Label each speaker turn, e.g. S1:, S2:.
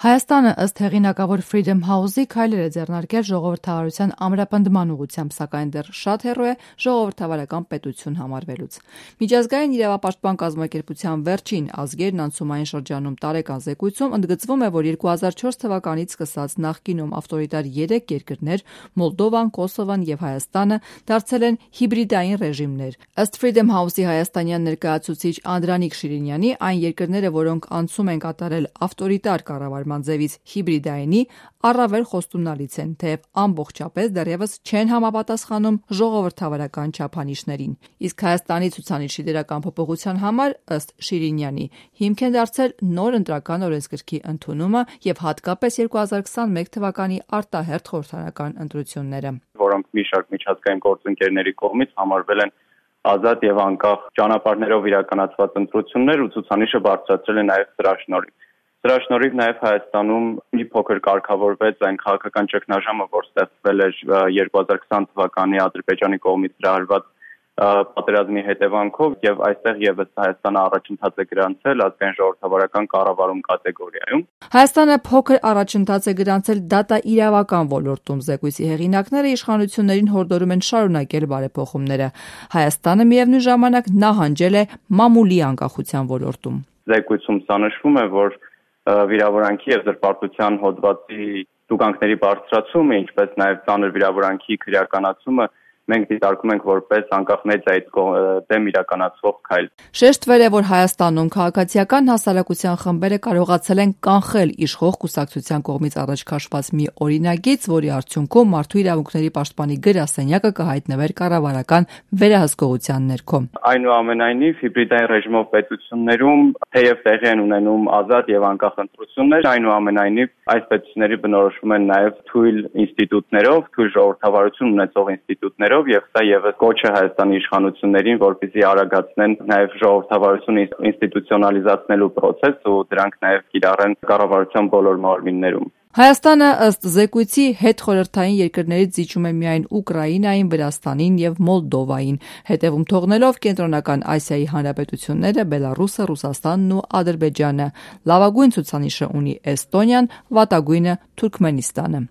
S1: Հայաստանը ըստ հեղինակավոր Freedom House-ի քայլեր է ձեռնարկել ժողովրդավարության ամրապնդման ուղղությամբ, սակայն դեռ շատ հեռու է ժողովրդավարական պետություն համարվելուց։ Միջազգային իրավապաշտպան կազմակերպության վերջին ազգերն անցումային շրջանում տարեկան զեկույցում ընդգծվում է, որ 2004 թվականից սկսած նախկինում ավտորիտար 3 երկրներ՝ Մոլդովան, Կոսովոն և Հայաստանը, դարձել են հիբրիդային ռեժիմներ։ Ըստ Freedom House-ի հայաստանյան ներկայացուցիչ Անդրանիկ Շիրինյանի, այն երկրները, որոնք անցում են կատարել ավտորիտար կառավարման ձևից հիբրիդայինի, առավել խոստումնալից են, թեև ամբողջապես դեռևս չեն համապատասխանում ժողովրդավարական չափանիշներին։ Իսկ Հայաստանի ցուցանիշի դրական փոփոխության համար, ըստ Շիրինյանի, հիմք են դարձել նոր ընտրական օրենսգրքի ընդունումը և հատկապես 2021 թվականի արտահերթ խորհրդարանական ընտրությունները,
S2: որոնք մի շարք միջազգային գործընկերների կողմից համարվել են ազատ եւ անկախ ճանապարհներով իրականացված ընտրություններ ու ցուցանիշը բարձրացրել է նաեւ սրա շնորհիվ։ Սրա շնորհիվ նաև Հայաստանում մի փոքր կարգավորվեց այն քաղաքական ճգնաժամը, որ ստեղծվել էր 2020 թվականի Ադրբեջանի կողմից հրահրված պատերազմի հետևանքով, եւ այստեղ եւս Հայաստանը առաջընթաց է գրանցել ազգային ժողովրդավարական կառավարում կատեգորիայում։
S1: Հայաստանը փոքր առաջընթաց է գրանցել դատաիրավական ոլորտում։ Զեկույցի հեղինակները իշխանություններին հորդորում են շարունակել բարեփոխումները։ Հայաստանը միևնույն ժամանակ նահանջել է մամուլի անկախության ոլորտում։
S2: Զեկույցում սա նշվում է, որ վիրավորանքի եւ զրպարտության հոդվածի տուգանքների բարձրացումը, ինչպես նաև ծանր վիրավորանքի քրեականացումը մենք դիտարկում ենք որպես անկախ մեդիայից դեմ իրականացվող քայլ։
S1: Շեշտվել է, որ Հայաստանում քաղաքացիական հասարակության խմբերը կարողացել են կանխել իշխող կուսակցության կողմից առաջ քաշված մի օրինագիծ, որի արդյունքում մարդու իրավունքների պաշտպանի գրասենյակը կհայտնվեր կառավարական վերահսկողության ներքո։
S2: Այնուամենայնիվ, հիբրիդային ռեժիմով պետություններում թեև տեղի են ունենում ազատ եւ անկախ ընտրություններ, այնուամենայնիվ այս պետությունների բնորոշվում են նաեւ թույլ ինստիտուտներով, թույլ ժողովրդավարություն ունեցող ինստիտուտներով, եւ սա եւս կոչ է Հայաստանի իշխանություններին, որպեսզի արագացնեն նաեւ ժողովրդավարություն ինստիտուցիոնալիզացնելու process ու դրանք նաեւ կիրառեն կառավարության բոլոր մարմիններում։
S1: Հայաստանը ըստ զեկույցի հետխորհրդային երկրներից զիջում է միայն Ուկրաինային, Վրաստանին եւ Մոլդովային, հետևում թողնելով Կենտրոնական Ասիայի հանրապետությունները, Բելառուսը, Ռուսաստանն ու Ադրբեջանը։ Լավագույն ցուցանիշը ունի Էստոնիան, վատագույնը Թուրքմենստանը։